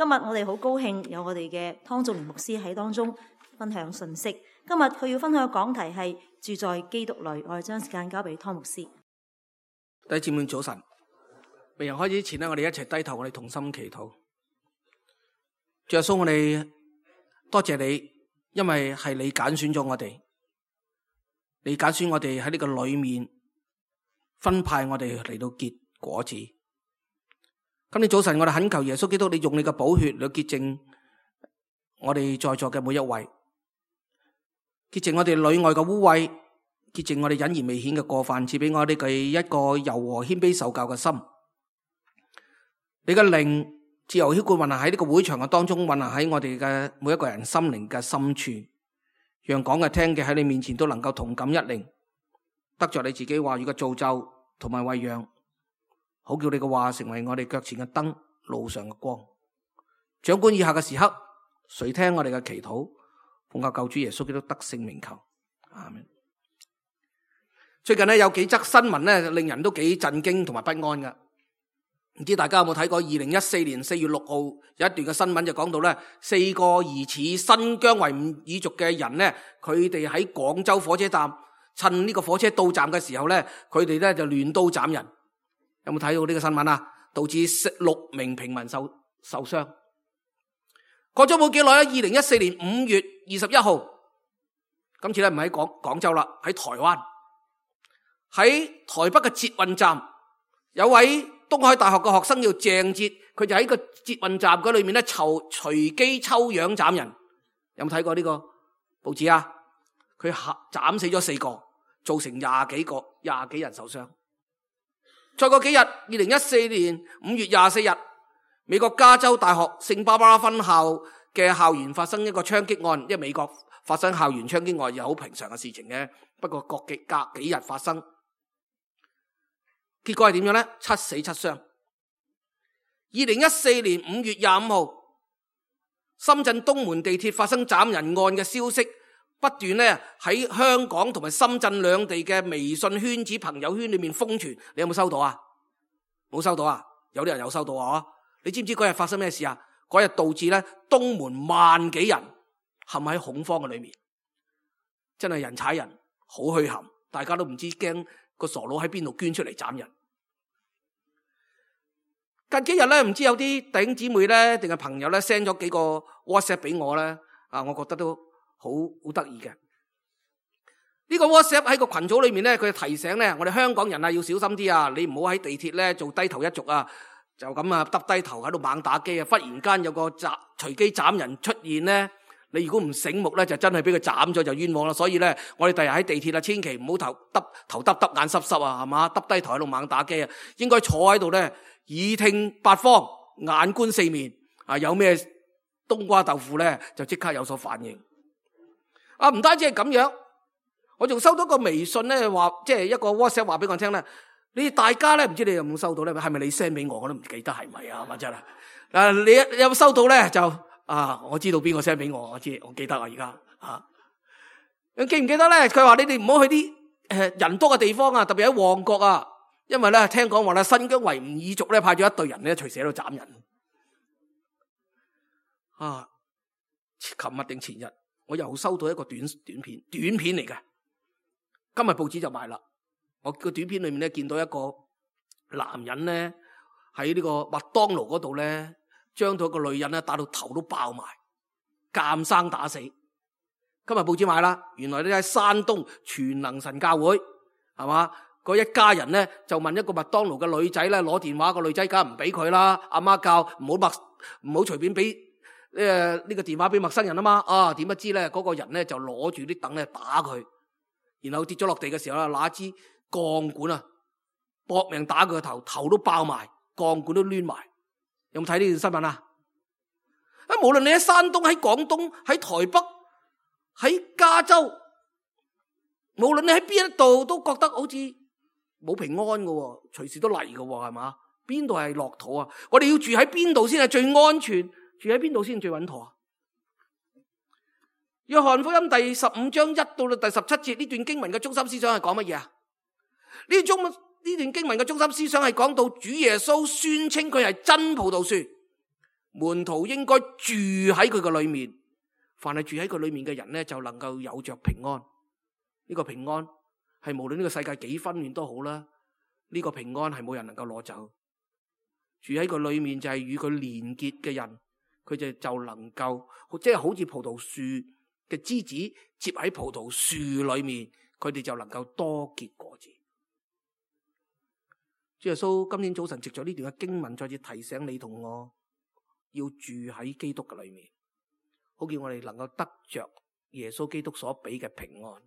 今日我哋好高興有我哋嘅湯仲年牧師喺當中分享信息。今日佢要分享嘅講題係住在基督裏。我哋將時間交俾湯牧師。弟兄姊妹早晨，未人開始之前呢，我哋一齊低頭，我哋同心祈禱。主耶穌，我哋多謝你，因為係你揀選咗我哋，你揀選我哋喺呢個裏面分派我哋嚟到結果子。今天早晨我哋懇求耶穌基督，你用你嘅寶血嚟潔淨我哋在座嘅每一位，潔淨我哋裏外嘅污穢，潔淨我哋隱而未顯嘅過犯，賜俾我哋嘅一個柔和謙卑受教嘅心。你嘅靈自由澆灌運行喺呢個會場嘅當中，運行喺我哋嘅每一個人心靈嘅深處，讓講嘅聽嘅喺你面前都能夠同感一靈，得着你自己話語嘅造就同埋餵養，好叫你嘅話成為我哋腳前嘅燈，路上嘅光。掌管以下嘅時刻，垂聽我哋嘅祈禱，奉靠救主耶穌基督得勝名求，阿們。最近有幾則新聞令人都幾震驚同埋不安㗎。唔知大家有冇睇過2014年4月6號有一段嘅新聞，就講到4個疑似新疆維吾爾族嘅人佢哋喺廣州火車站趁呢個火車到站嘅時候佢哋就亂刀斬人。有冇睇到呢個新聞啊？導致6名平民受傷。過咗冇幾耐2014年5月21號，今次唔喺廣州啦，喺台灣，喺台北嘅捷運站，有位東海大學嘅學生叫鄭捷，佢就喺個捷運站嗰裏面隨機抽樣斬人。有冇睇過呢個報紙啊？佢斬死咗4個，造成廿幾人受傷。再過幾日，2014年5月24日，美國加州大學聖巴巴拉分校嘅校園發生一個槍擊案。因為美國發生校園槍擊案又好平常嘅事情嘅，不過隔幾日發生，結果係點樣呢？7死7傷。2014年5月25號，深圳東門地鐵發生斬人案嘅消息不斷喺香港同埋深圳兩地嘅微信圈子、朋友圈裏面瘋傳。你有冇收到啊？冇收到啊？有啲人有收到啊？你知唔知嗰日發生咩事啊？嗰日導致東門萬幾人陷喺恐慌嘅裏面，真係人踩人，好墟冚，大家都唔知驚個傻佬喺邊度捐出嚟斬人。近幾日唔知有啲弟兄姊妹定係朋友send 咗幾個 WhatsApp 俾我我覺得都好得意嘅。呢個 WhatsApp 喺個群組裏面佢提醒我哋香港人要小心啲啊！你唔好喺地鐵做低頭一族啊，就咁耷低頭喺度猛打機啊！忽然間有個隨機斬人出現你如果唔醒目就真係俾佢斬咗就冤枉啦。所以我哋第日喺地鐵千祈唔好頭耷眼濕濕啊，係嘛？耷低頭喺度猛打機啊！應該坐喺度耳聽八方，眼觀四面啊！有咩冬瓜豆腐就即刻有所反應。唔單止係咁樣，我仲收到個微信話，即係一個 WhatsApp 話俾我聽你哋大家唔知你有冇收到係咪你 send 俾我都唔記得係咪啊？真係你有冇收到就我知道邊個 send 俾我，我記得啊而家你記唔記得佢話你哋唔好去啲人多嘅地方啊，特別喺旺角啊，因為聽講話新疆維吾爾族派咗一隊人隨時喺度斬人。琴日定前日我又收到一個短片嚟嘅，今日報紙就賣啦。我個短片裏面見到一個男人喺呢個麥當勞嗰度將到一個女人打到頭都爆埋，監生打死。今日報紙賣啦，原來喺山東全能神教會係嘛？嗰一家人就問一個麥當勞嘅女仔攞電話，個女仔梗係唔俾佢啦。阿媽教唔好隨便俾呢個電話俾陌生人啊嘛。點不知嗰個人就攞住啲凳打佢，然後跌咗落地嘅時候拿支鋼管搏命打佢個頭，頭都爆埋，鋼管都攣埋。有冇睇呢段新聞啊？無論你喺山東、喺廣東、喺台北、喺加州，無論你喺邊一度，都覺得好似冇平安嘅，隨時都嚟嘅，係嘛？邊度係樂土啊？我哋要住喺邊度先係最安全？住喺邊度先最穩妥啊？約翰福音第15章1到第17節呢段經文嘅中心思想係講乜嘢啊？呢段經文嘅中心思想係講到主耶穌宣稱佢係真葡萄樹，門徒應該住喺佢嘅裏面，凡係住喺佢裏面嘅人呢，就能夠有着平安。呢個平安係無論呢個世界幾紛亂都好啦，呢個平安係冇人能夠攞走。住喺佢裏面就係與佢連結嘅人，佢就能夠即係好似葡萄樹嘅枝子接喺葡萄樹裏面，佢哋就能夠多結果子。主耶穌今天早晨藉咗呢段嘅經文，再次提醒你同我要住喺基督嘅裏面，好叫我哋能夠得着耶穌基督所俾嘅平安，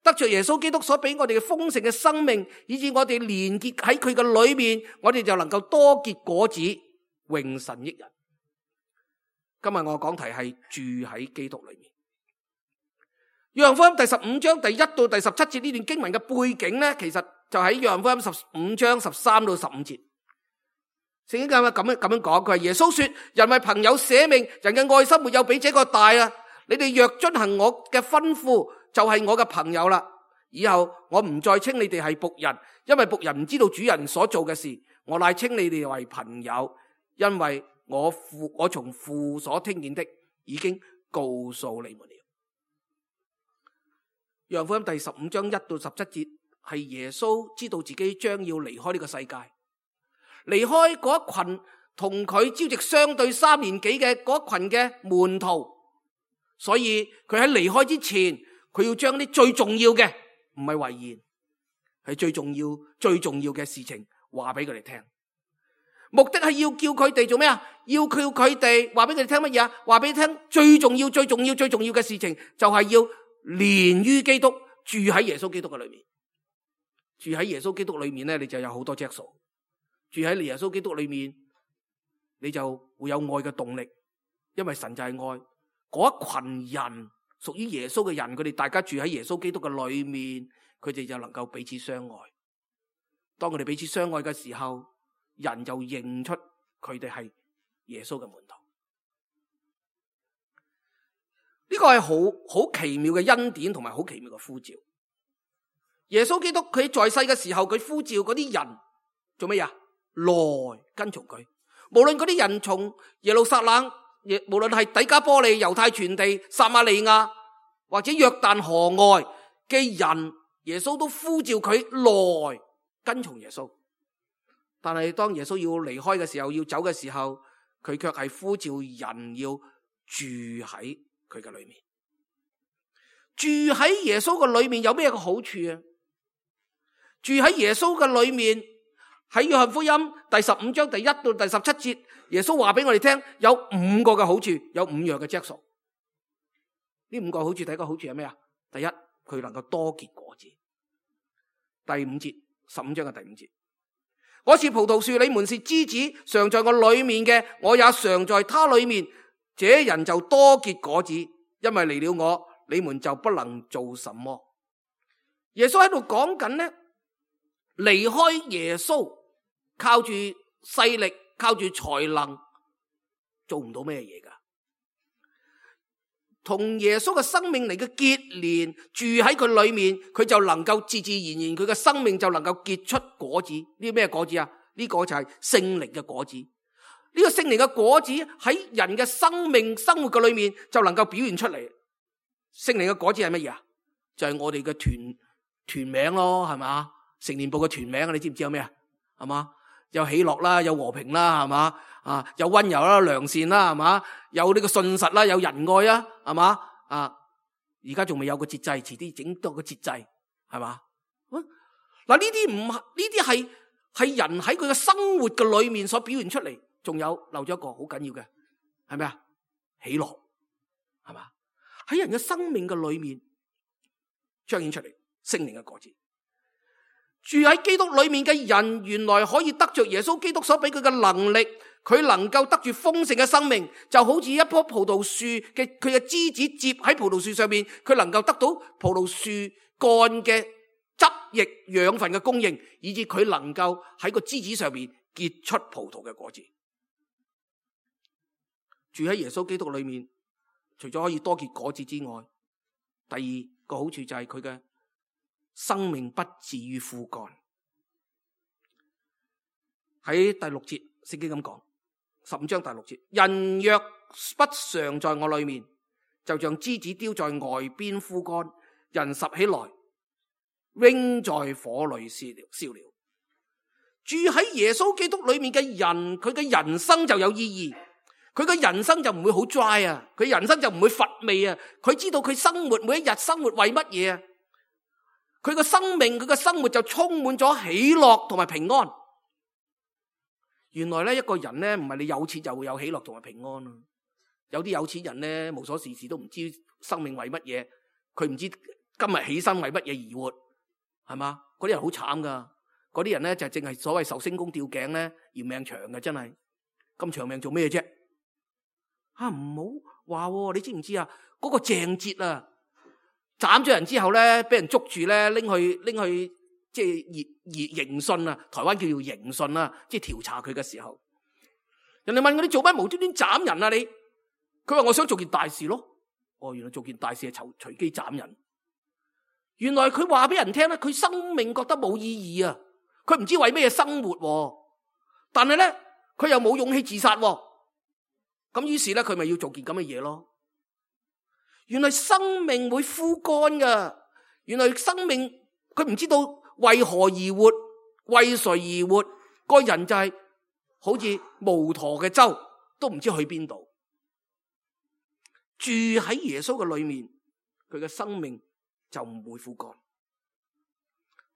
得着耶穌基督所俾我哋嘅豐盛嘅生命，以致我哋連結喺佢嘅裏面，我哋就能夠多結果子，榮神益人。今日我講題係住喺基督裏面。約翰福音第15章第1到第17節呢段經文嘅背景呢，其實就喺約翰福音15章13到15節。聖經咁樣講，佢話耶穌說：人為朋友捨命，人嘅愛心沒有比這個大啊！你哋若遵行我嘅吩咐，就係我嘅朋友啦。以後我唔再稱你哋係僕人，因為僕人唔知道主人所做嘅事。我乃稱你哋為朋友，因為我從父所聽見的已經告訴你們了。約翰福音第15章1到17節係耶穌知道自己將要離開呢個世界，離開嗰一群同佢朝夕相對3年幾嘅嗰一群嘅門徒，所以佢喺離開之前，佢要將啲最重要嘅，唔係遺言，係最重要嘅事情話俾佢哋聽。目的係要叫佢哋做咩啊？要叫佢哋話俾佢哋聽乜嘢啊？話俾你聽最重要嘅事情，就係要連於基督，住喺耶穌基督嘅裏面。住喺耶穌基督裏面咧，你就有好多質素。住喺耶穌基督裏面，你就會有愛嘅動力，因為神就係愛。嗰一群人屬於耶穌嘅人，佢哋大家住喺耶穌基督嘅裏面，佢哋就能夠彼此相愛。當佢哋彼此相愛嘅時候，人就認出佢哋係耶穌嘅門徒。呢個係好奇妙嘅恩典，同埋好奇妙嘅呼召。耶穌基督佢在世嘅時候，佢呼召嗰啲人做乜嘢？來跟從佢。無論嗰啲人從耶路撒冷，無論係底加波利、猶太全地、撒瑪利亞或者約旦河外嘅人，耶穌都呼召佢來跟從耶穌。但係當耶穌要離開嘅時候，要走嘅時候，佢卻係呼召人要住喺佢嘅裏面。住喺耶穌嘅裏面有咩個好處啊？住喺耶穌嘅裏面，喺約翰福音第15章第1到第17節，耶穌話俾我哋聽，有5個嘅好處，有5樣嘅質素。呢5個好處，第一個好處係咩啊？第一，佢能夠多結果子。第5節，15章嘅第5節，我是葡萄樹，你們是枝子，常在我裏面嘅，我也常在他裏面，這人就多結果子，因為離了我，你們就不能做什麼。耶穌喺度講緊呢，離開耶穌，靠住勢力，靠住才能，做唔到咩嘢噶。同耶穌嘅生命嚟嘅結連，住喺佢裏面，佢就能夠自自然然，佢嘅生命就能夠結出果子。呢咩果子啊？呢個就係聖靈嘅果子。呢個聖靈嘅果子喺人嘅生命生活嘅裏面就能夠表現出嚟。聖靈嘅果子係乜嘢啊？就係我哋嘅團名咯，係嘛？成年部嘅團名，你知唔知有咩啊？係嘛？有喜樂啦，有和平啦，係嘛？啊，有溫柔啦，良善啦，係嘛？有呢個信實啦，有仁愛啊，係嘛？啊，而家仲未有個節制，遲啲整多個節制，係嘛？嗱，呢啲係人喺佢嘅生活嘅裏面所表現出嚟，仲有漏咗一個好緊要嘅，係咩啊？喜樂，係嘛？喺人嘅生命嘅裏面彰顯出嚟，聖靈嘅果子。住喺基督裏面嘅人，原來可以得着耶穌基督所俾佢嘅能力，佢能夠得住豐盛嘅生命，就好似一棵葡萄樹嘅佢嘅枝子接喺葡萄樹上面，佢能夠得到葡萄樹幹嘅汁液養分嘅供應，以致佢能夠喺個枝子上面結出葡萄嘅果子。住喺耶穌基督裏面，除咗可以多結果子之外，第二個好處就係佢嘅生命不至於枯乾。喺第6節聖經咁講， 15章第6節，人若不常在我裏面，就像枝子丟在外邊枯乾，人拾起來，扔在火裏燒了。住喺耶穌基督裏面嘅人，佢嘅人生就有意義，佢嘅人生就唔會好 dry 啊，佢人生就唔會乏味啊，佢知道佢生活每一日生活為乜嘢啊，佢嘅生命佢嘅生活就充滿咗喜樂同埋平安。原來咧，一個人咧唔係你有錢就會有喜樂同埋平安啊，有啲有錢人咧無所事事都唔知生命為乜嘢，佢唔知今日起身為乜嘢而活，係嘛？嗰啲人好慘噶，嗰啲人咧就淨係所謂壽星公吊頸咧，嫌命長嘅，真係咁長命做咩啫？唔好話，你知唔知啊？嗰個鄭捷啊，斬咗人之後咧，俾人捉住咧，拎去即係刑訊啊，台灣叫做刑訊啊，即係調查佢嘅時候，人哋問佢：你做乜無端端斬人啊？你佢話：我想做件大事咯。原來做件大事係隨機斬人。原來佢話俾人聽咧，佢生命覺得冇意義啊，佢唔知為咩生活，但係咧佢又冇勇氣自殺，咁於是咧佢咪要做件咁嘅嘢咯。原來生命會枯乾噶，原來生命佢唔知道為何而活，為誰而活，個人就係好似無舵嘅舟，都唔知去邊度。住喺耶穌嘅裏面，佢嘅生命就唔會枯乾。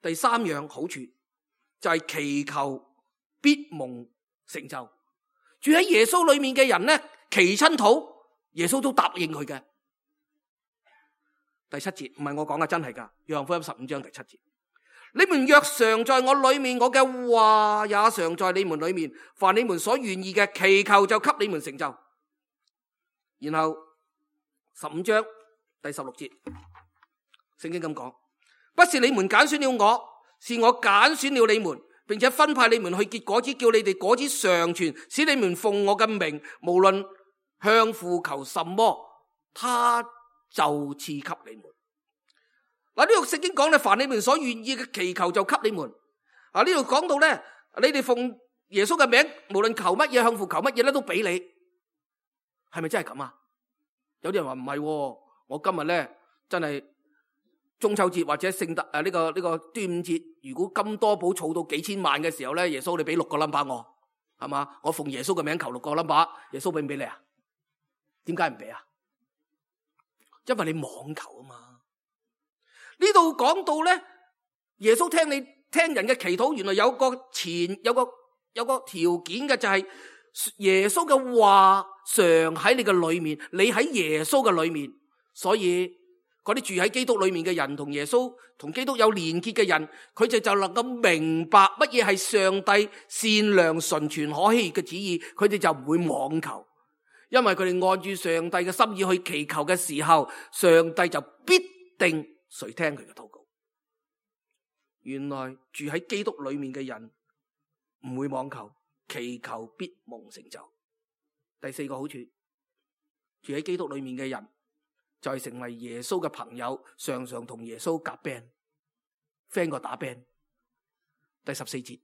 第三樣好處就係祈求必蒙成就。住喺耶穌裏面嘅人咧，祈親禱，耶穌都答應佢嘅。第7節唔係我講嘅，真係噶，約翰福音15章第7節。你們若常在我裏面，我嘅話也常在你們裏面，凡你們所願意嘅，祈求就給你們成就。然後15章第16節，聖經咁講：不是你們揀選了我，是我揀選了你們，並且分派你們去結果子，叫你哋果子常存，使你們奉我嘅名，無論向父求什麼，他就賜給你們。嗱，呢度聖經講咧，凡你們所願意嘅祈求就給你們。呢度講到咧，你哋奉耶穌嘅名，無論求乜嘢，向父求乜嘢咧，都俾你。係咪真係咁啊？有啲人話唔係，我今日咧真係中秋節或者聖誕呢個端午節，如果金多寶儲到幾千萬嘅時候咧，耶穌你俾6個 number 我，係嘛？我奉耶穌嘅名求6個 number， 耶穌俾唔俾你啊？點解唔俾啊？因為你妄求啊嘛。呢度講到咧，耶穌聽人嘅祈禱，原來有個條件嘅，就係耶穌嘅話常喺你嘅裏面，你喺耶穌嘅裏面，所以嗰啲住喺基督裏面嘅人，同耶穌同基督有連結嘅人，佢哋就能夠明白乜嘢係上帝善良純全可喜嘅旨意，佢哋就唔會妄求，因為佢哋按住上帝嘅心意去祈求嘅時候，上帝就必定誰聽佢嘅禱告。原來住喺基督裏面嘅人唔會妄求，祈求必蒙成就。第4個好處，住喺基督裏面嘅人就係成為耶穌嘅朋友，常常同耶穌夾 band，friend 過打 band。第14節，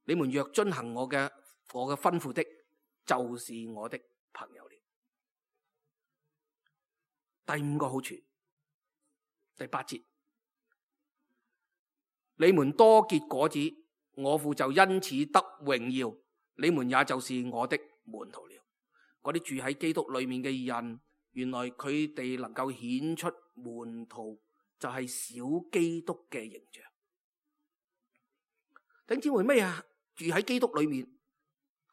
你們若遵行我嘅吩咐的，就是我的朋友了。第5個好處，第8節，你們多結果子，我父就因此得榮耀，你們也就是我的門徒了。嗰啲住喺基督裏面嘅人，原來佢哋能夠顯出門徒就係小基督嘅形象。弟兄姊妹，咩啊？住喺基督裏面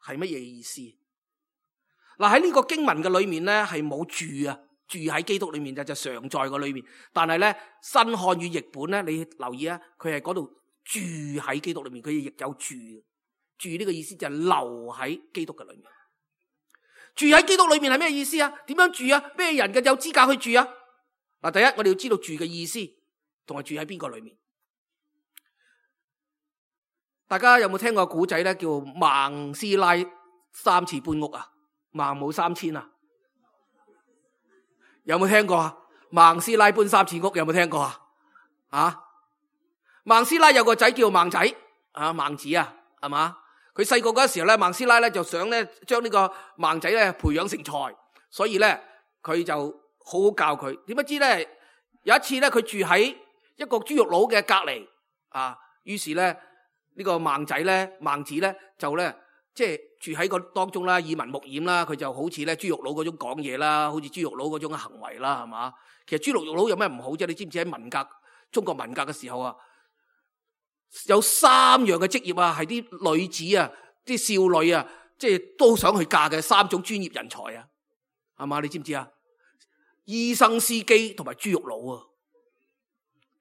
係乜嘢意思？嗱，喺呢個經文嘅裏面咧，係冇住啊。住喺基督裏面就常在個裏面，但係咧新漢語譯本咧，你留意啊，佢係嗰度住喺基督裏面，佢亦有住呢個意思就係留喺基督嘅裏面。住喺基督裏面係咩意思啊？點樣住啊？咩人嘅有資格去住啊？嗱，第一我哋要知道住嘅意思，同埋住喺邊個裏面。大家有冇聽過古仔咧？叫孟師奶3次搬屋啊？孟母3000啊？有冇聽過啊？孟師奶搬3次屋，有冇聽過啊？孟師奶有個仔叫孟仔，孟子啊，係嘛？佢細個嗰時候咧，孟斯拉咧就想咧將呢個孟仔咧培養成才，所以咧佢就好好教佢。點不知咧有一次咧佢住喺一個豬肉佬嘅隔籬啊，於是咧呢個孟子咧就咧即係住喺個當中啦，耳聞目染啦，佢就好似咧豬肉佬嗰種講嘢啦，好似豬肉佬嗰種行為啦，係嘛？其實豬肉佬有咩唔好啫？你知唔知喺文革中國文革嘅時候啊，有3樣嘅職業啊，係啲女子啊，啲少女啊，即係都想去嫁嘅3種專業人才啊，係嘛？你知唔知啊？醫生、司機同埋豬肉佬啊，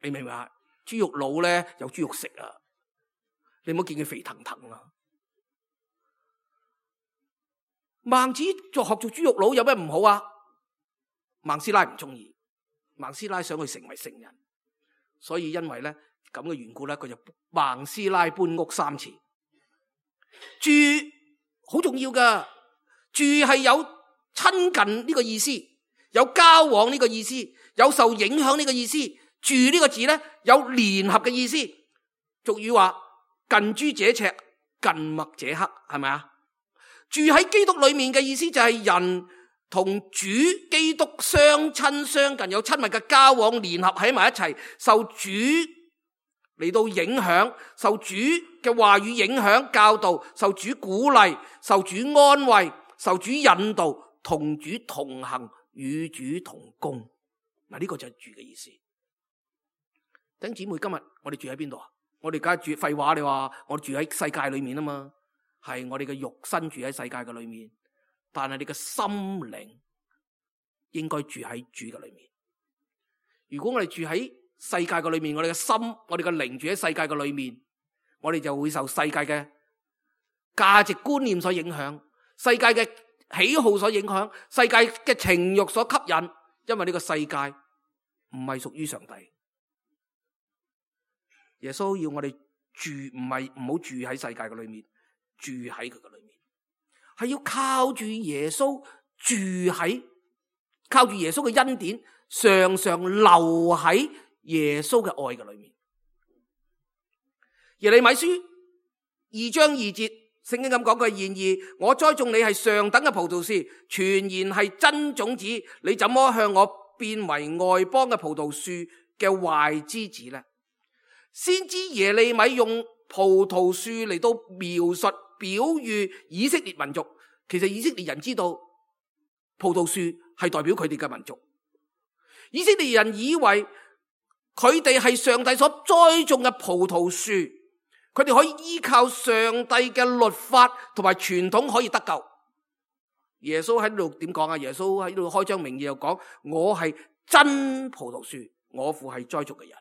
你明唔明啊？豬肉佬咧有豬肉食啊，你唔好見佢肥騰騰啊。孟子學做豬肉佬有咩唔好啊？孟斯拉唔中意，孟斯拉想佢成為聖人，所以因為咧咁嘅緣故咧，佢就孟斯拉搬屋3次。住好重要噶，住係有親近呢個意思，有交往呢個意思，有受影響呢個意思。住呢個字咧有聯合嘅意思。俗語話近朱者赤，近墨者黑，係咪啊？住喺基督裏面嘅意思就係人同主基督相親相近，有親密嘅交往，聯合喺埋一齊，受主嚟到影響，受主嘅話語影響教導，受主鼓勵，受主安慰，受主引導，同主同行，與主同工。嗱，呢個就係住嘅意思。弟兄姊妹，今日我哋住喺邊度啊？我哋梗係住，廢話，你話我哋住喺世界裏面啊嘛。係我哋嘅肉身住喺世界嘅裏面，但係你嘅心靈應該住喺主嘅裏面。如果我哋住喺世界嘅裏面，我哋嘅心，我哋嘅靈住喺世界嘅裏面，我哋就會受世界嘅價值觀念所影響，世界嘅喜好所影響，世界嘅情慾所吸引。因為呢個世界唔係屬於上帝。耶穌要我哋住，唔好住喺世界嘅裏面。住喺佢嘅裏面，係要靠住耶穌靠住耶穌嘅恩典，常常留喺耶穌嘅愛嘅裏面。耶利米書2章2節，聖經咁講，佢然而我栽種你係上等嘅葡萄樹，全然係真種子，你怎麼向我變為外邦嘅葡萄樹嘅壞枝子呢？先知耶利米用葡萄樹嚟到描述表喻以色列民族。其實以色列人知道葡萄樹係代表佢哋嘅民族。以色列人以為佢哋係上帝所栽種嘅葡萄樹，佢哋可以依靠上帝嘅律法同埋傳統可以得救。耶穌喺度點講啊？耶穌喺度開張名義又講，我係真葡萄樹，我父係栽種嘅人。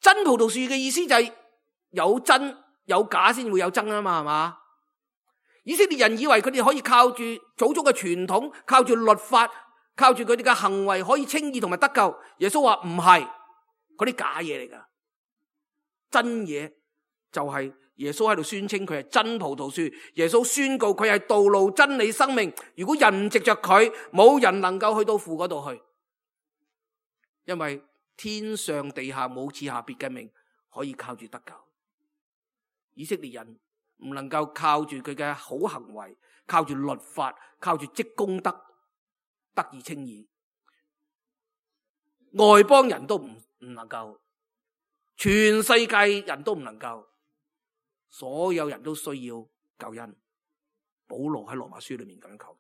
真葡萄樹嘅意思就係有真有假先會有真啊嘛，係嘛？以色列人以為佢哋可以靠住祖宗嘅傳統，靠住律法，靠住佢哋嘅行為可以稱義同埋得救。耶穌話唔係，嗰啲假嘢嚟噶，真嘢就係耶穌喺度宣稱佢係真葡萄樹。耶穌宣告佢係道路、真理、生命。如果人唔藉着佢，冇人能夠去到父嗰度去，因為天上地下冇賜下別嘅名可以靠住得救。以色列人唔能夠靠住佢嘅好行為，靠住律法，靠住積功德得以稱義。外邦人都唔能夠，全世界人都唔能夠，所有人都需要救恩。保羅喺羅馬書裏面咁樣求。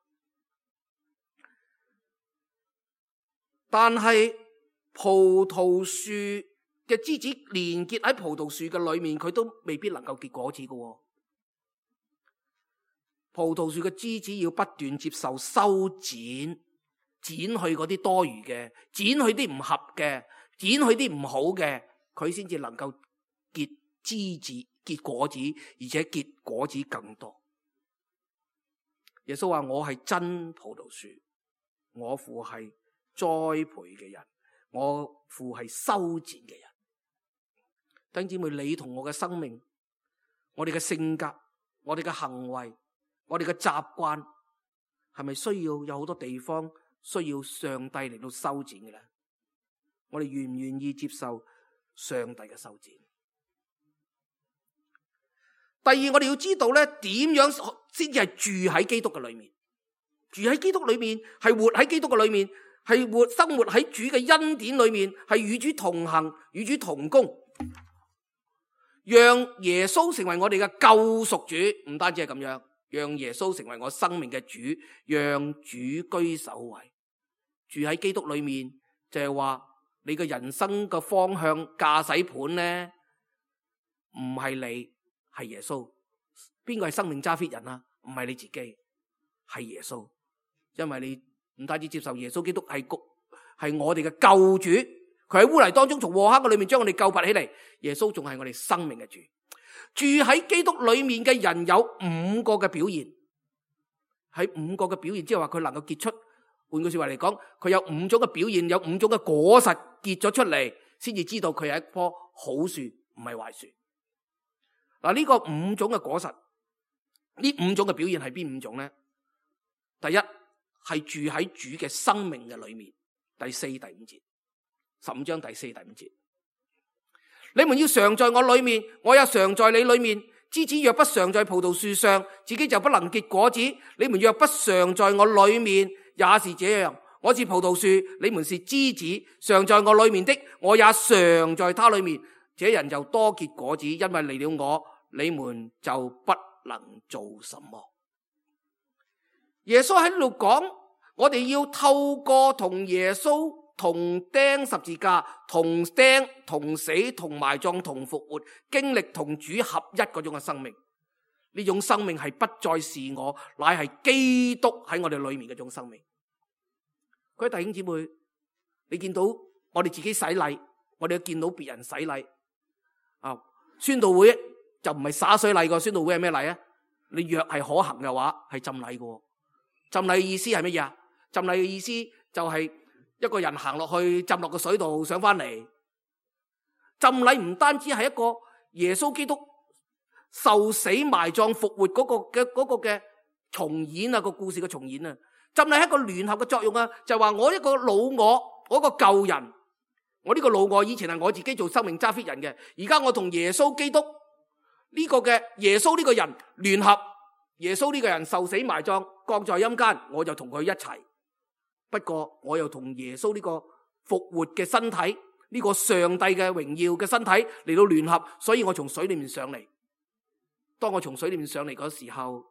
但係葡萄樹嘅枝子連結喺葡萄樹嘅裏面，佢都未必能夠結果子嘅。葡萄樹嘅枝子要不斷接受修剪，剪去嗰啲多餘嘅，剪去啲唔合嘅，剪去啲唔好嘅，佢先至能夠結枝子、結果子，而且結果子更多。耶穌話：我係真葡萄樹，我父係栽培嘅人，我父係修剪嘅人。弟兄姊妹，你同我嘅生命，我哋嘅性格，我哋嘅行為，我哋嘅習慣，係咪需要有好多地方需要上帝嚟到修剪嘅咧？我哋願唔願意接受上帝嘅修剪？第二，我哋要知道咧，點樣先至係住喺基督嘅裏面？住喺基督裏面，係活喺基督嘅裏面，係生活喺主嘅恩典裏面，係與主同行，與主同工，讓耶穌成為我哋嘅救贖主。唔單止係咁樣，讓耶穌成為我生命嘅主，讓主居首位。住喺基督裏面，就係話你嘅人生嘅方向駕駛盤咧，唔係你，係耶穌。邊個係生命揸 fit 人啊？唔係你自己，係耶穌。因為你唔單止接受耶穌基督係我哋嘅救主，佢喺污泥當中從禍坑嘅裏面將我哋救拔起嚟。耶穌仲係我哋生命嘅主。住喺基督裏面嘅人有5個嘅表現，喺5個嘅表現，即係話佢能夠結出。換句說話嚟講，佢有5種嘅表現，有5種嘅果實結咗出嚟，先至知道佢係一棵好樹，唔係壞樹。嗱，呢個5種嘅果實，呢5種嘅表現係邊5種呢？第一係住喺主嘅生命嘅裏面，第4、第5節，15章第4、第5節。你們要常在我裏面，我也常在你裏面。枝子若不常在葡萄樹上，自己就不能結果子。你們若不常在我裏面，也是這樣。我是葡萄樹，你們是枝子，常在我裏面的，我也常在他裏面。這人就多結果子，因為離了我，你們就不能做什麼。耶穌喺度講，我哋要透過同耶穌同釘十字架、同釘、同死、同埋葬、同復活，經歷同主合一嗰種嘅生命。呢種生命係不再是我，乃係基督喺我哋裏面嗰種生命。各位弟兄姊妹，你見到我哋自己洗禮，我哋又見到別人洗禮。宣道會就唔係灑水禮，個宣道會係咩禮啊？你若係可行嘅話，係浸禮嘅。浸禮嘅意思係乜嘢啊？浸禮嘅意思就係一個人行落去，浸落個水度上翻嚟。浸禮唔單止係一個耶穌基督受死埋葬復活嗰個嘅重演啊，個故事嘅重演啊。浸禮係一個聯合嘅作用啊，就係話我一個老我個舊人，我呢個老我以前係我自己做生命揸 fit 人嘅，而家我同耶穌基督呢個嘅耶穌呢個人聯合，耶穌呢個人受死埋葬降在陰間，我就同佢一齊。不過我又同耶穌呢個復活嘅身體，呢個上帝嘅榮耀嘅身體嚟到聯合，所以我從水裏面上嚟。當我從水裏面上嚟嗰時候，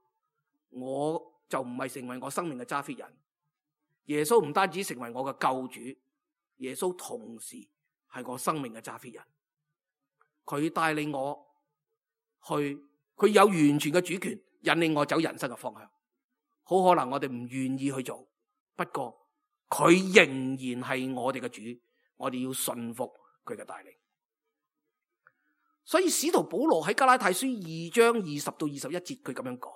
我就唔係成為我生命嘅揸 fit 人。耶穌唔單止成為我嘅救主，耶穌同時係我生命嘅揸 fit 人。佢帶領我去，佢有完全嘅主權，引領我走人生嘅方向。好可能我哋唔願意去做，不過佢仍然係我哋嘅主，我哋要順服佢嘅帶領。所以使徒保羅喺加拉太書2章20到21節，佢咁樣講：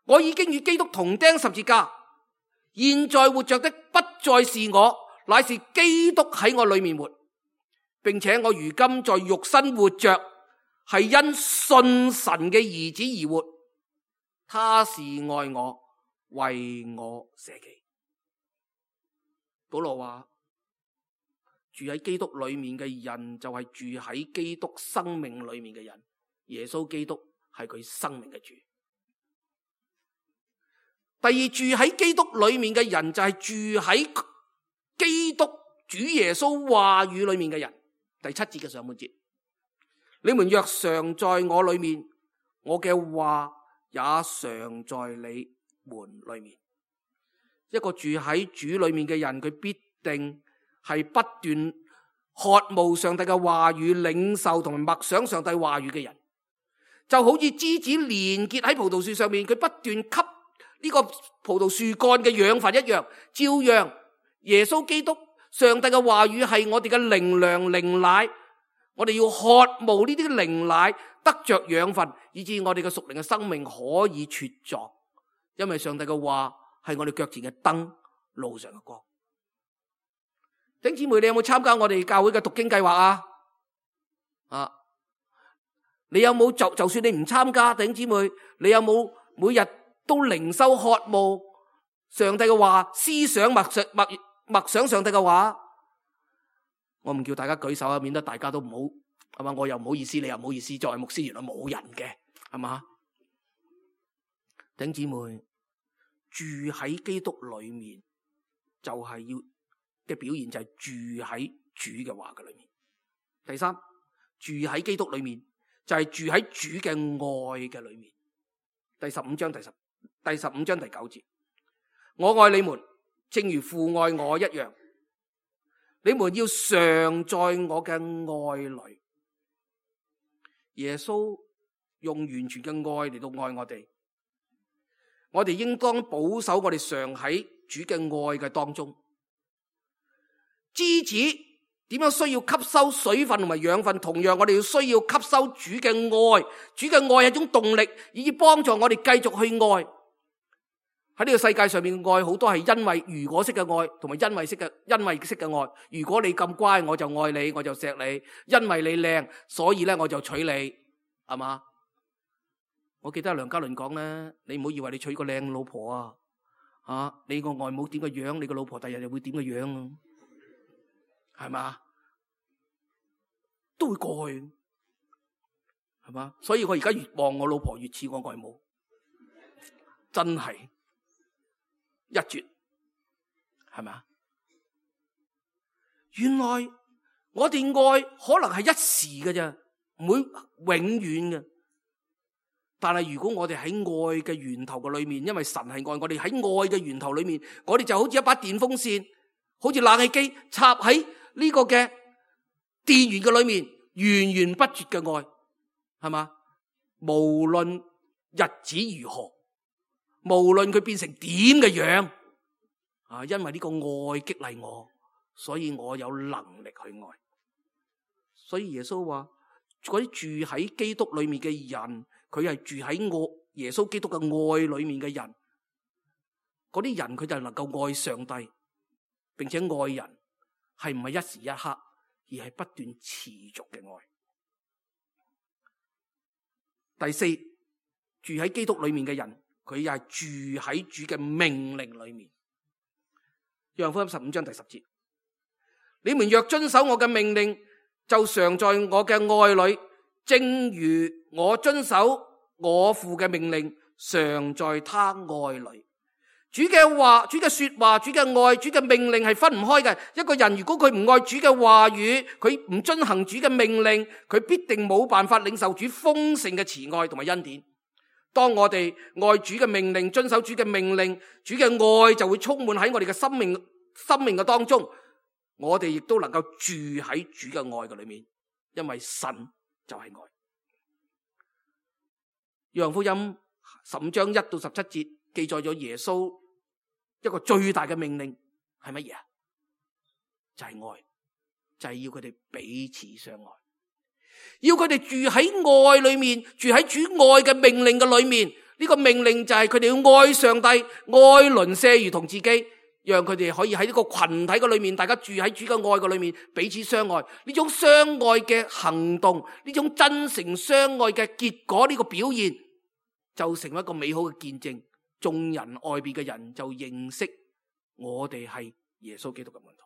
我已經與基督同釘十字架，現在活着的不再是我，乃是基督喺我裏面活，並且我如今在肉身活着，係因信神嘅兒子而活。他是愛我，為我捨己。保羅話，住喺基督裏面嘅人就係住喺基督生命裏面嘅人。耶穌基督係佢生命嘅主。第二，住喺基督裏面嘅人就係住喺基督主耶穌話語裏面嘅人。第7節嘅上半節，你們若常在我裏面，我嘅話也常在你們裏面。一個住喺主裏面嘅人，佢必定係不斷渴慕上帝嘅話語，領受同埋默想上帝話語嘅人，就好似枝子連結喺葡萄樹上面，佢不斷吸呢個葡萄樹幹嘅養分一樣。照樣耶穌基督上帝嘅話語係我哋嘅靈糧靈奶，我哋要渴慕呢啲靈奶，得着養分，以致我哋嘅屬靈嘅生命可以茁壯。因為上帝嘅話係我哋腳前嘅燈，路上嘅光。弟兄姊妹，你有冇參加我哋教會嘅讀經計劃啊？你有冇就算你唔參加，弟兄姊妹，你有冇每日都靈修渴慕上帝嘅話，思想默想上帝嘅話？我唔叫大家舉手啊，免得大家都唔係嘛？我又唔好意思，你又唔好意思，作為牧師原來冇人嘅，係嘛？弟兄姊妹，住喺基督裏面就係要嘅表現，就係住喺主嘅話嘅裏面。第三，住喺基督裏面就係住喺主嘅愛嘅裏面。第15章第9節，我愛你們，正如父愛我一樣，你們要常在我嘅愛裏。耶穌用完全嘅愛嚟到愛我哋，我哋應當保守我哋常喺主嘅愛嘅當中。枝子點樣需要吸收水分同埋養分，同樣我哋要需要吸收主嘅愛。主嘅愛係一種動力，以幫助我哋繼續去愛。喺呢個世界上面嘅愛好多係因為如果式嘅愛，同埋因為式嘅愛。如果你咁乖，我就愛你，我就錫你。因為你靚，所以咧我就娶你，係嘛？我記得梁家麟講咧，你唔好以為你娶個靚老婆你個外母點個樣，你個老婆第日又會點個樣啊？係嘛？都會過去，係嘛？所以我而家越望我老婆越似我外母，真係一絕，係咪？原來我哋愛可能係一時嘅啫，唔會永遠嘅。但係如果我哋喺愛嘅源頭嘅裏面，因為神係愛我哋，喺愛嘅源頭裏面，我哋就好似一把電風扇，好似冷氣機插喺呢個嘅電源嘅裏面，源源不絕嘅愛，係嘛？無論日子如何，無論佢變成點嘅樣，因為呢個愛激勵我，所以我有能力去愛。所以耶穌話，嗰啲住喺基督裏面嘅人，佢係住喺耶穌基督嘅愛裏面嘅人，嗰啲人佢就能夠愛上帝，並且愛人係唔係一時一刻，而係不斷持續嘅愛。第四，住喺基督裏面嘅人，佢又係住喺主嘅命令裏面。約翰福音15章第10節，你們若遵守我嘅命令，就常在我嘅愛裏，正如我遵守我父嘅命令，常在他愛裏。主嘅話、主嘅說話、主嘅愛、主嘅命令係分唔開嘅。一個人如果佢唔愛主嘅話語，佢唔遵行主嘅命令，佢必定冇辦法領受主豐盛嘅慈愛同埋恩典。當我哋愛主嘅命令，遵守主嘅命令，主嘅愛就會充滿喺我哋嘅生命嘅當中。我哋亦都能夠住喺主嘅愛嘅裏面，因為神就係愛。約翰福音15章1到17節記載咗耶穌一個最大嘅命令係乜嘢啊？就係愛，就係要佢哋彼此相愛，要佢哋住喺愛裏面，住喺主愛嘅命令嘅裏面。呢個命令就係佢哋要愛上帝，愛鄰舍如同自己，讓佢哋可以喺呢個群體嘅裏面，大家住喺主嘅愛嘅裏面，彼此相愛。呢種相愛嘅行動，呢種真誠相愛嘅結果，呢個表現就成為一個美好嘅見證。眾人外邊嘅人就認識我哋係耶穌基督嘅門徒。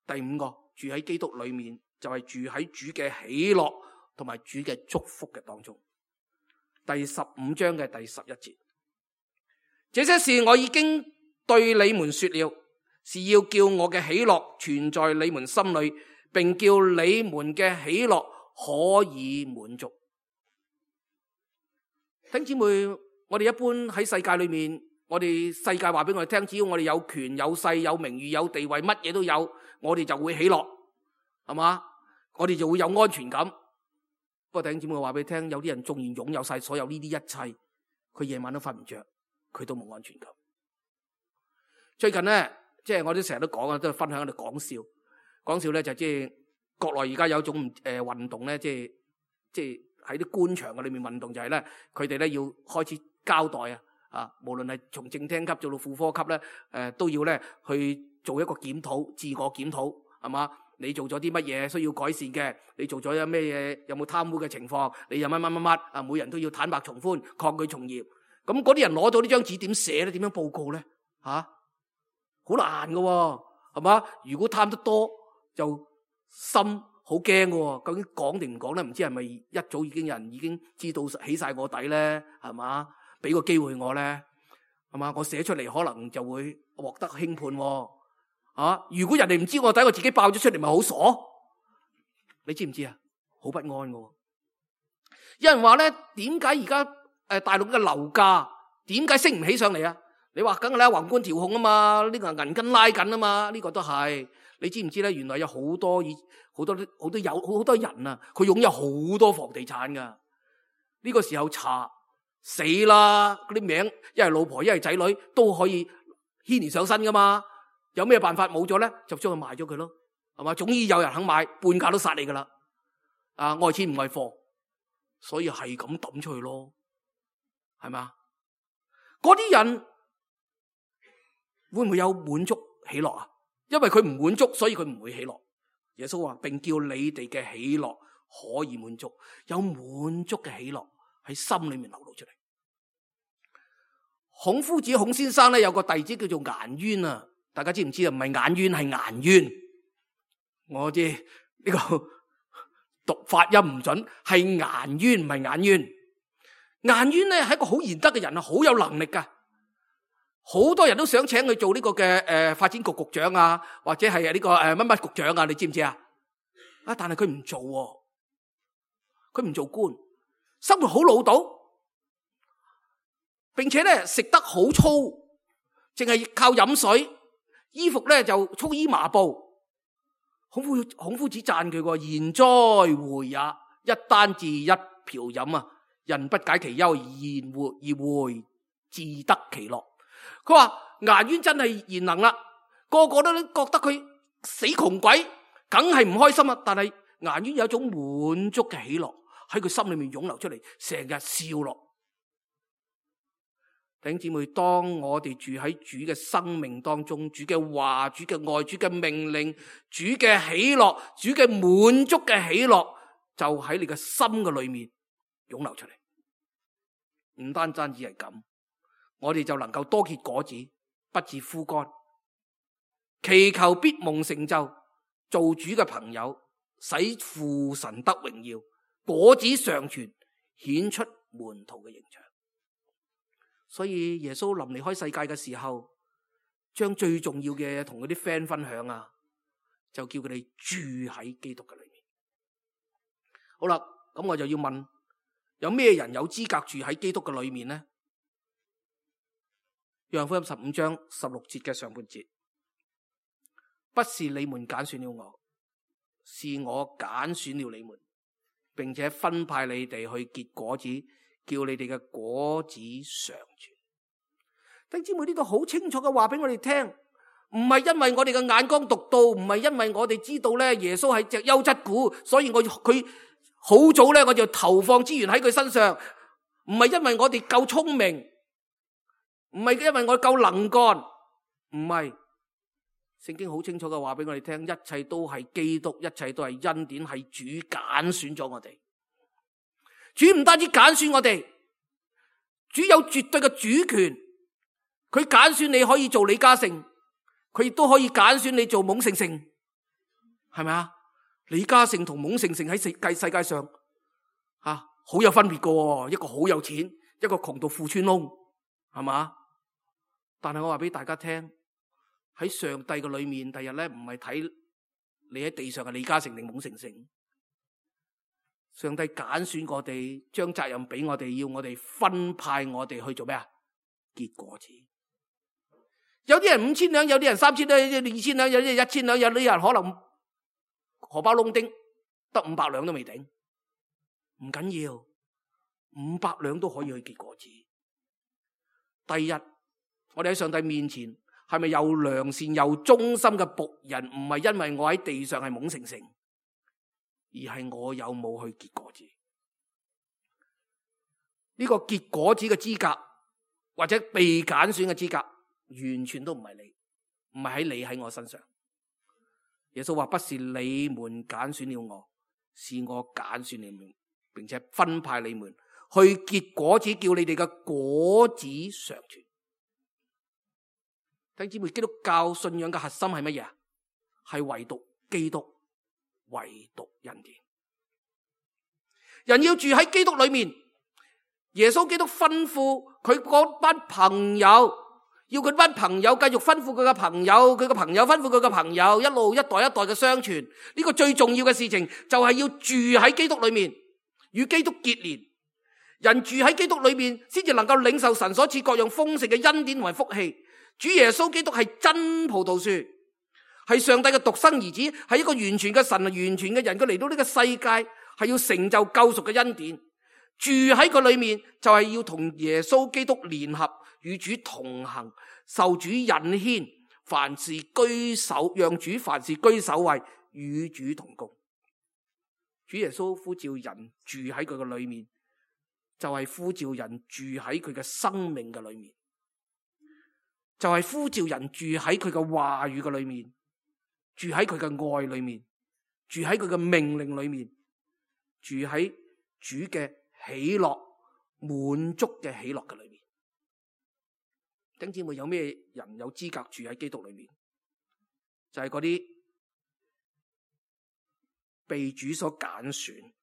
第五個，住喺基督裏面就係住喺主嘅喜樂同埋主嘅祝福嘅當中。第15章嘅第11節，這些事我已經對你們說了，是要叫我嘅喜樂存在你們心裏，並叫你們嘅喜樂可以滿足。弟兄姊妹，我哋一般喺世界裏面，我哋世界話俾我哋聽，只要我哋有權有勢有名譽有地位，乜嘢都有，我哋就會喜樂，係嘛？我哋就會有安全感。不過弟兄姊妹，話俾你聽，有啲人縱然擁有晒所有呢啲一切，佢夜晚都瞓唔着，佢都冇安全感。最近咧，即係我都成日都講啊，都分享喺度講笑咧，就即係國內而家有一種運動咧，即係喺啲官場嘅裏面運動，就係咧，佢哋咧要開始交代啊，無論係從正廳級做到副科級咧，都要咧去做一個檢討，自我檢討，係嘛？你做咗啲乜嘢需要改善嘅？你做咗有咩嘢？有冇貪污嘅情況？你有乜啊？每人都要坦白從寬，抗拒從嚴。咁嗰啲人攞到呢張紙點寫咧？點樣報告咧？好難㗎喎，係嘛？如果貪得多就心好驚喎，究竟講定唔講咧？唔知係咪一早已經有人已經知道起晒我底咧？係嘛？俾個機會我咧，係嘛？我寫出嚟可能就會獲得輕判喎。如果人哋唔知我底，我自己爆咗出嚟，咪好傻？你知唔知啊？好不安嘅。有人話咧，點解而家大陸嘅樓價點解升唔起上嚟啊？你話梗係啦，宏觀調控啊嘛，呢個銀根拉緊啊嘛，呢個都係。你知唔知咧？原來有好多人啊，佢擁有好多房地產噶。呢個時候查死啦，嗰啲名一係老婆一係仔女都可以牽連上身噶嘛。有咩辦法冇咗咧？就將佢賣咗佢咯，係嘛？總之有人肯買，半價都殺你噶啦。愛錢唔係貨，所以係咁抌出去咯，係嘛？嗰啲人會唔會有滿足喜樂啊？因為佢唔滿足，所以佢唔會喜樂。耶穌話，並叫你哋嘅喜樂可以滿足，有滿足嘅喜樂喺心裏面流露出嚟。孔夫子孔先生咧有個弟子叫做顏淵啊，大家知唔知啊？唔係顏淵，係顏淵。我知呢個讀發音唔準，係顏淵唔係顏淵。顏淵咧係一個好賢德嘅人啊，好有能力噶。好多人都想請佢做呢個嘅發展局局長啊，或者係呢個乜乜局長啊，你知唔知啊？但係佢唔做喎，佢唔做官，生活好潦倒，並且咧食得好粗，淨係靠飲水，衣服咧就粗衣麻布。孔夫子讚佢喎，賢哉回也，一簞治一瓢飲啊，人不解其憂而回自得其樂。佢話顏淵真係賢能啦，個個都覺得佢死窮鬼，梗係唔開心啦。但係顏淵有一種滿足嘅喜樂喺佢心裏面湧流出嚟，成日笑落。弟兄姊妹，當我哋住喺主嘅生命當中，主嘅話、主嘅愛、主嘅命令、主嘅喜樂、主嘅滿足嘅喜樂，就喺你嘅心嘅裏面湧流出嚟。唔單止係咁，我哋就能夠多結果子，不致枯乾。祈求必蒙成就，做主嘅朋友，使父神得榮耀，果子常存，顯出門徒嘅形象。所以耶穌臨離開世界嘅時候，將最重要嘅嘢同佢啲 friend 分享啊，就叫佢哋住喺基督嘅裏面。好啦，咁我就要問，有咩人有資格住喺基督嘅裏面呢？約翰福音15章16節嘅上半節，不是你們揀選了我，是我揀選了你們，並且分派你哋去結果子，叫你哋嘅果子常存。弟兄姊妹，呢度好清楚嘅話俾我哋聽，唔係因為我哋嘅眼光獨到，唔係因為我哋知道咧耶穌係隻優質股，所以佢好早咧我就投放資源喺佢身上，唔係因為我哋夠聰明，唔係因為我夠能幹，唔係。聖經好清楚嘅話俾我哋聽，一切都係基督，一切都係恩典，係主揀選咗我哋。主唔單止揀選我哋，主有絕對嘅主權。佢揀選你可以做李嘉誠，佢亦都可以揀選你做懵盛盛，係咪啊？李嘉誠同懵盛盛喺世界上好有分別㗎，一個好有錢，一個窮到褲穿窿，係嘛？但係我話俾大家聽，喺上帝嘅裏面，第日咧唔係睇你喺地上嘅李嘉誠定懵盛盛，上帝揀選我哋，將責任俾我哋，要我哋分派我哋去做咩啊？結果子。有啲人5000兩，有啲人3000兩，有啲人2000兩，有啲人1000兩，有啲人可能荷包窿丁得500兩都未頂，唔緊要，500兩都可以去結果子。第一，我哋喺上帝面前係咪又良善又忠心嘅僕人？唔係因為我喺地上係懵盛盛，而係我有冇去結果子。呢個結果子嘅資格或者被揀選嘅資格，完全都唔係你，唔係喺你喺我身上。耶穌話，不是你們揀選了我，是我揀選你們，並且分派你們去結果子，叫你哋嘅果子常存。弟兄姊妹，基督教信仰嘅核心係乜嘢？係唯獨基督，唯獨恩典。人要住喺基督裏面，耶穌基督吩咐佢嗰班朋友，要佢班朋友繼續吩咐佢嘅朋友，佢嘅朋友吩咐佢嘅朋友，一路一代一代嘅相傳。呢個最重要嘅事情就係要住喺基督裏面，與基督結連。人住喺基督裏面，先至能夠領受神所賜各樣豐盛嘅恩典同埋福氣。主耶穌基督係真葡萄樹，係上帝嘅獨生兒子，係一個完全嘅神，完全嘅人。佢嚟到呢個世界係要成就救贖嘅恩典。住喺佢裏面就係要同耶穌基督聯合，與主同行，受主引牽，凡事居首，讓主凡事居首位，與主同工。主耶穌呼召人住喺佢嘅裏面，就係呼召人住喺佢嘅生命嘅裏面，就係呼召人住喺佢嘅話語嘅裏面，住喺佢嘅愛裏面，住喺佢嘅命令裏面，住喺主嘅喜樂滿足嘅喜樂嘅裏面。弟兄姊妹，有咩人有資格住喺基督裏面？就係嗰啲被主所揀選、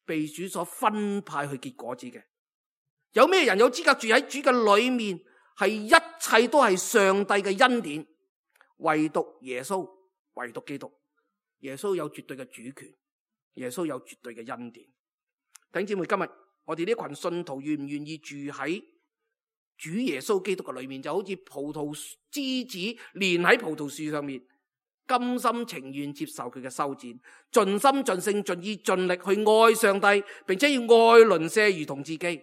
被主所分派去結果子嘅。有咩人有資格住喺主嘅裏面？係一切都係上帝嘅恩典，唯獨耶穌，唯獨基督。耶穌有絕對嘅主權，耶穌有絕對嘅恩典。弟兄姊妹，今日我哋呢群信徒願唔願意住喺主耶穌基督嘅裏面？就好似葡萄枝子連喺葡萄樹上面，甘心情願接受佢嘅修剪，盡心盡性盡意盡力去愛上帝，並且要愛鄰舍如同自己，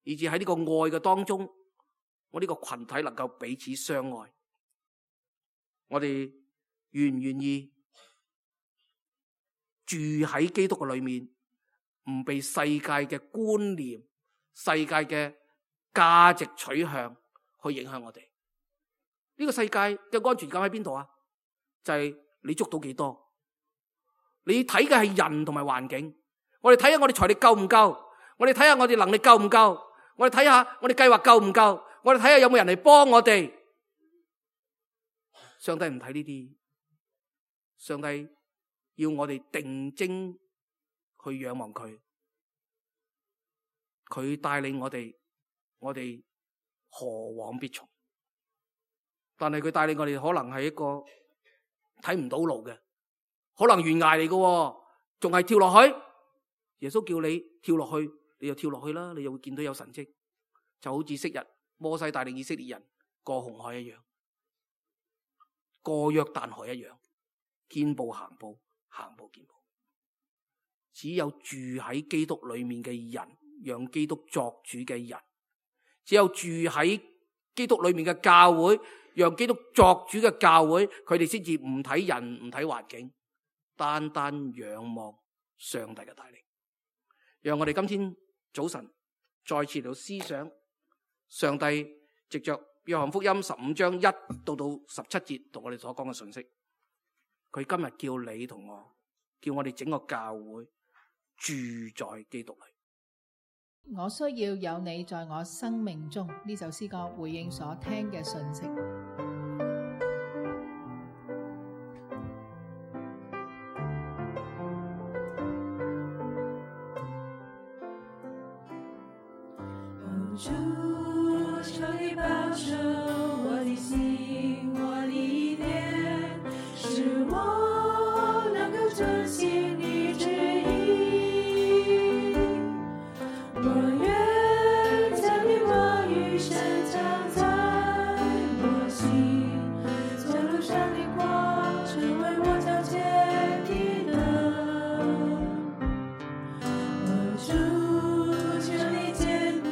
以至喺呢個愛嘅當中，我呢個群體能夠彼此相愛。我哋願唔願意住喺基督嘅裏面，唔被世界嘅觀念、世界嘅價值取向去影響我哋？呢個世界嘅安全感喺邊度啊？就係你捉到幾多？你睇嘅係人同埋環境。我哋睇下我哋財力夠唔夠？我哋睇下我哋能力夠唔夠？我哋睇下我哋計劃夠唔夠？我哋睇下有冇人嚟幫我哋？上帝唔睇呢啲，上帝要我哋定睛去仰望佢，佢帶領我哋，我哋何往必從？但係佢帶領我哋可能係一個睇唔到路嘅，可能懸崖嚟嘅，仲係跳落去。耶穌叫你跳落去，你就跳落去啦，你就會見到有神蹟，就好似昔日摩西帶領以色列人過紅海一樣，過約旦河一樣，見步行步，行步見步。只有住喺基督裏面嘅人，讓基督作主嘅人，只有住喺基督裏面嘅教會，讓基督作主嘅教會，佢哋先至唔睇人，唔睇環境，單單仰望上帝嘅帶領。讓我哋今天早晨再次嚟到思想上帝藉着約翰福音15章1到17節同我哋所講嘅信息。佢今日叫你同我，叫我哋整個教會住在基督裏。我需要有你在我生命中，呢首詩歌回應所聽嘅信息。主，求你保守我的心，我的念，使我能夠遵行你旨意。我願將你話語深藏在我心，做路上的光，成為我腳前的燈。主，求你堅固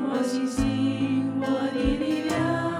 我信心，我的力量。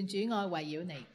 願主愛圍繞你。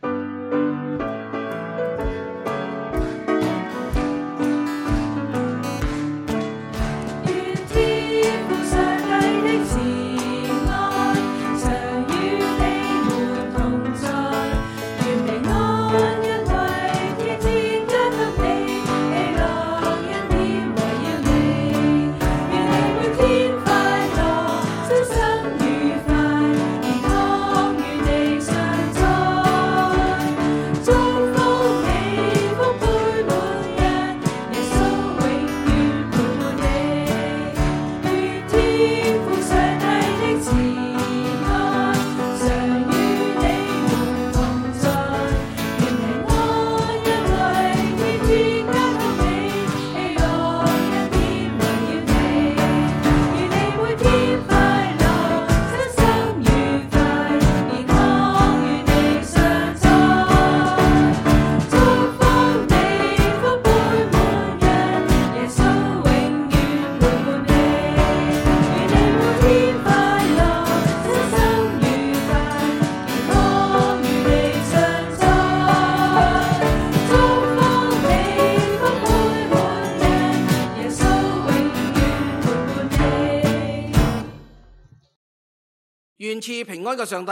願賜平安嘅上帝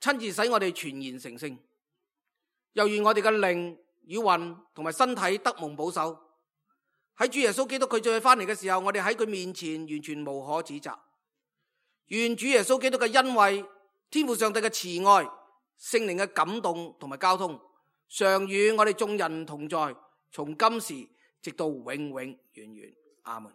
親自使我哋全然成聖，又願我哋嘅靈與魂同埋身體得蒙保守。喺主耶穌基督佢再翻嚟嘅時候，我哋喺佢面前完全無可指責。願主耶穌基督嘅恩惠、天父上帝嘅慈愛、聖靈嘅感動同埋交通，常與我哋眾人同在，從今時直到永永遠遠。阿門。